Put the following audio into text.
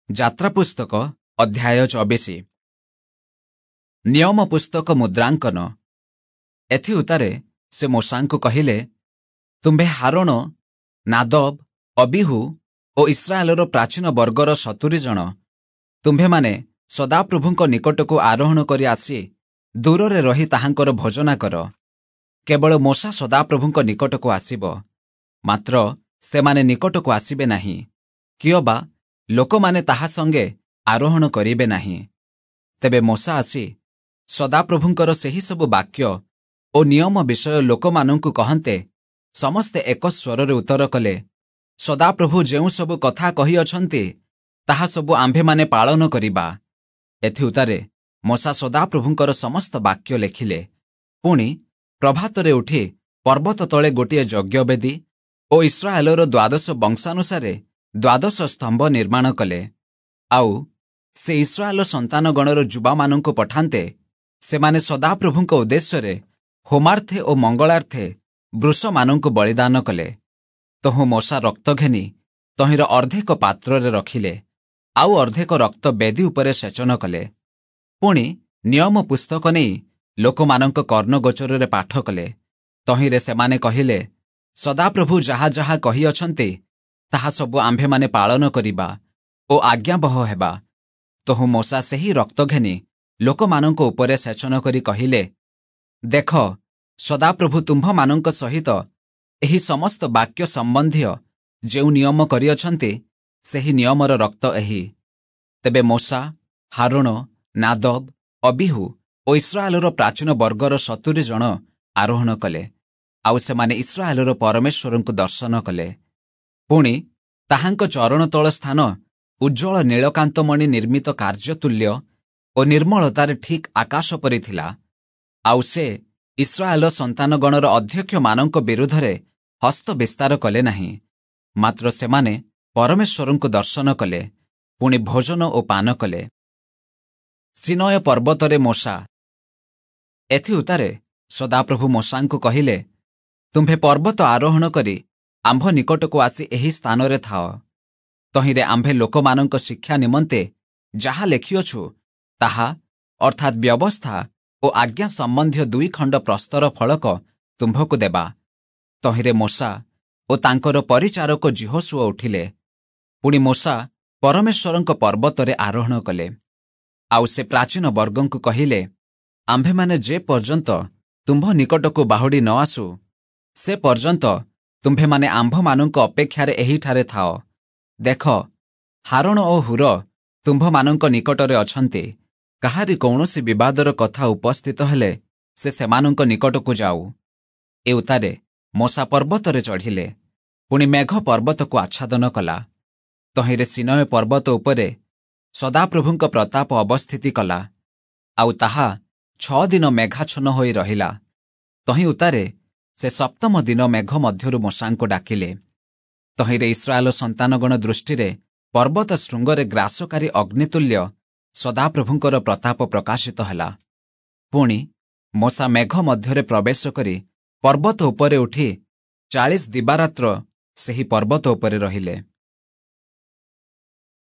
ଯାତ୍ରା ପୁସ୍ତକ ଅଧ୍ୟାୟ 24। ନିୟମ ପୁସ୍ତକ ମୁଦ୍ରାଙ୍କନ। ଏଥିଉତ୍ତାରେ ସେ ମୋଶାଙ୍କୁ କହିଲେ, ତୁମ୍ଭେ ହାରୋଣ, ନାଦବ, ଅବିହୁ ଓ ଇସ୍ରାଏଲର ପ୍ରାଚୀନ ବର୍ଗର 70 ଜଣ ତୁମ୍ଭେମାନେ ସଦାପ୍ରଭୁଙ୍କ ନିକଟକୁ ଆରୋହଣ କରି ଆସି ଦୂରରେ ରହି ତାହାଙ୍କର ଭୋଜନା କର। କେବଳ ମୋଶା ସଦାପ୍ରଭୁଙ୍କ ନିକଟକୁ ଆସିବ, ମାତ୍ର ସେମାନେ ନିକଟକୁ ଆସିବେ ନାହିଁ, କିଅବା ଲୋକମାନେ ତାହା ସଙ୍ଗେ ଆରୋହଣ କରିବେ ନାହିଁ। ତେବେ ମୋଶା ଆସି ସଦାପ୍ରଭୁଙ୍କର ସେହି ସବୁ ବାକ୍ୟ ଓ ନିୟମ ବିଷୟ ଲୋକମାନଙ୍କୁ କହନ୍ତେ, ସମସ୍ତେ ଏକ ସ୍ୱରରେ ଉତ୍ତର କଲେ, ସଦାପ୍ରଭୁ ଯେଉଁ ସବୁ କଥା କହିଅଛନ୍ତି ତାହା ସବୁ ଆମ୍ଭେମାନେ ପାଳନ କରିବା। ଏଥିଉତ୍ତାରେ ମୋଶା ସଦାପ୍ରଭୁଙ୍କର ସମସ୍ତ ବାକ୍ୟ ଲେଖିଲେ। ପୁଣି ପ୍ରଭାତରେ ଉଠି ପର୍ବତ ତଳେ ଗୋଟିଏ ଯଜ୍ଞବେଦୀ ଓ ଇସ୍ରାଏଲର ଦ୍ୱାଦଶ ବଂଶାନୁସାରେ ଦ୍ୱାଦଶ ସ୍ତମ୍ଭ ନିର୍ମାଣ କଲେ। ଆଉ ସେ ଇସ୍ରାଏଲ ସନ୍ତାନଗଣର ଯୁବାମାନଙ୍କୁ ପଠାନ୍ତେ, ସେମାନେ ସଦାପ୍ରଭୁଙ୍କ ଉଦ୍ଦେଶ୍ୟରେ ହୋମାର୍ଥେ ଓ ମଙ୍ଗଳାର୍ଥେ ବୃଷମାନଙ୍କୁ ବଳିଦାନ କଲେ। ତହୁଁ ମୋଶା ରକ୍ତ ଘେନି ତହିଁର ଅର୍ଦ୍ଧେକ ପାତ୍ରରେ ରଖିଲେ, ଆଉ ଅର୍ଦ୍ଧେକ ରକ୍ତ ବେଦୀ ଉପରେ ସେଚନ କଲେ। ପୁଣି ନିୟମ ପୁସ୍ତକ ନେଇ ଲୋକମାନଙ୍କ କର୍ଣ୍ଣଗୋଚରରେ ପାଠ କଲେ। ତହିଁରେ ସେମାନେ କହିଲେ, ସଦାପ୍ରଭୁ ଯାହା ଯାହା କହିଅଛନ୍ତି ତାହା ସବୁ ଆମ୍ଭେମାନେ ପାଳନ କରିବା ଓ ଆଜ୍ଞାବହ ହେବା। ତହୁଁ ମୋଶା ସେହି ରକ୍ତ ଘେନି ଲୋକମାନଙ୍କ ଉପରେ ସେଚନ କରି କହିଲେ, ଦେଖ, ସଦାପ୍ରଭୁ ତୁମ୍ଭମାନଙ୍କ ସହିତ ଏହି ସମସ୍ତ ବାକ୍ୟ ସମ୍ବନ୍ଧୀୟ ଯେଉଁ ନିୟମ କରିଅଛନ୍ତି, ସେହି ନିୟମର ରକ୍ତ ଏହି। ତେବେ ମୋଶା, ହାରୋଣ, ନାଦବ, ଅବିହୁ ଓ ଇସ୍ରାଏଲର ପ୍ରାଚୀନ ବର୍ଗର 70 ଜଣ ଆରୋହଣ କଲେ, ଆଉ ସେମାନେ ଇସ୍ରାଏଲର ପରମେଶ୍ୱରଙ୍କୁ ଦର୍ଶନ କଲେ। ପୁଣି ତାହାଙ୍କ ଚରଣ ତଳ ସ୍ଥାନ ଉଜ୍ଜ୍ୱଳ ନୀଳକାନ୍ତମଣି ନିର୍ମିତ କାର୍ଯ୍ୟତୁଲ୍ୟ ଓ ନିର୍ମଳତାରେ ଠିକ୍ ଆକାଶ ପରି ଥିଲା। ଆଉ ସେ ଇସ୍ରାଏଲ ସନ୍ତାନଗଣର ଅଧ୍ୟକ୍ଷମାନଙ୍କ ବିରୁଦ୍ଧରେ ହସ୍ତ ବିସ୍ତାର କଲେ ନାହିଁ, ମାତ୍ର ସେମାନେ ପରମେଶ୍ୱରଙ୍କୁ ଦର୍ଶନ କଲେ, ପୁଣି ଭୋଜନ ଓ ପାନ କଲେ। ସିନୟ ପର୍ବତରେ ମୋଶା। ଏଥିଉତ୍ତାରେ ସଦାପ୍ରଭୁ ମୋଶାଙ୍କୁ କହିଲେ, ତୁମ୍ଭେ ପର୍ବତ ଆରୋହଣ କରି ଆମ୍ଭ ନିକଟକୁ ଆସି ଏହି ସ୍ଥାନରେ ଥାଅ। ତହିଁରେ ଆମ୍ଭେ ଲୋକମାନଙ୍କ ଶିକ୍ଷା ନିମନ୍ତେ ଯାହା ଲେଖିଅଛୁ ତାହା, ଅର୍ଥାତ୍ ବ୍ୟବସ୍ଥା ଓ ଆଜ୍ଞା ସମ୍ବନ୍ଧୀୟ 2 ଖଣ୍ଡ ପ୍ରସ୍ତର ଫଳକ ତୁମ୍ଭକୁ ଦେବା। ତହିଁରେ ମୋଶା ଓ ତାଙ୍କର ପରିଚାରକ ଯିହୋଶୂୟ ଉଠିଲେ। ପୁଣି ମୋଶା ପରମେଶ୍ୱରଙ୍କ ପର୍ବତରେ ଆରୋହଣ କଲେ। ଆଉ ସେ ପ୍ରାଚୀନ ବର୍ଗଙ୍କୁ କହିଲେ, ଆମ୍ଭେମାନେ ଯେ ପର୍ଯ୍ୟନ୍ତ ତୁମ୍ଭ ନିକଟକୁ ବାହୁଡ଼ି ନ ଆସୁ, ସେ ପର୍ଯ୍ୟନ୍ତ ତୁମ୍ଭେମାନେ ଆମ୍ଭମାନଙ୍କ ଅପେକ୍ଷାରେ ଏହିଠାରେ ଥାଅ। ଦେଖ, ହାରୋଣ ଓ ହୂର ତୁମ୍ଭମାନଙ୍କ ନିକଟରେ ଅଛନ୍ତି। କାହାରି କୌଣସି ବିବାଦର କଥା ଉପସ୍ଥିତ ହେଲେ ସେ ସେମାନଙ୍କ ନିକଟକୁ ଯାଉ। ଏ ଉତ୍ତାରେ ମୋଶା ପର୍ବତରେ ଚଢ଼ିଲେ। ପୁଣି ମେଘ ପର୍ବତକୁ ଆଚ୍ଛାଦନ କଲା। ତହିଁରେ ସିନୟ ପର୍ବତ ଉପରେ ସଦାପ୍ରଭୁଙ୍କ ପ୍ରତାପ ଅବସ୍ଥିତି କଲା, ଆଉ ତାହା 6 ଦିନ ମେଘାଚ୍ଛନ୍ନ ହୋଇ ରହିଲା। ତହିଁ ଉତ୍ତାରେ ସେ ସପ୍ତମ ଦିନ ମେଘ ମଧ୍ୟରୁ ମୋଶାଙ୍କୁ ଡାକିଲେ। ତହିଁରେ ଇସ୍ରାଏଲ ସନ୍ତାନଗଣ ଦୃଷ୍ଟିରେ ପର୍ବତ ଶୃଙ୍ଗରେ ଗ୍ରାସକାରୀ ଅଗ୍ନିତୁଲ୍ୟ ସଦାପ୍ରଭୁଙ୍କର ପ୍ରତାପ ପ୍ରକାଶିତ ହେଲା। ପୁଣି ମୋଶା ମେଘ ମଧ୍ୟରେ ପ୍ରବେଶ କରି ପର୍ବତ ଉପରେ ଉଠି 40 ଦିବାରାତ୍ର ସେହି ପର୍ବତ ଉପରେ ରହିଲେ।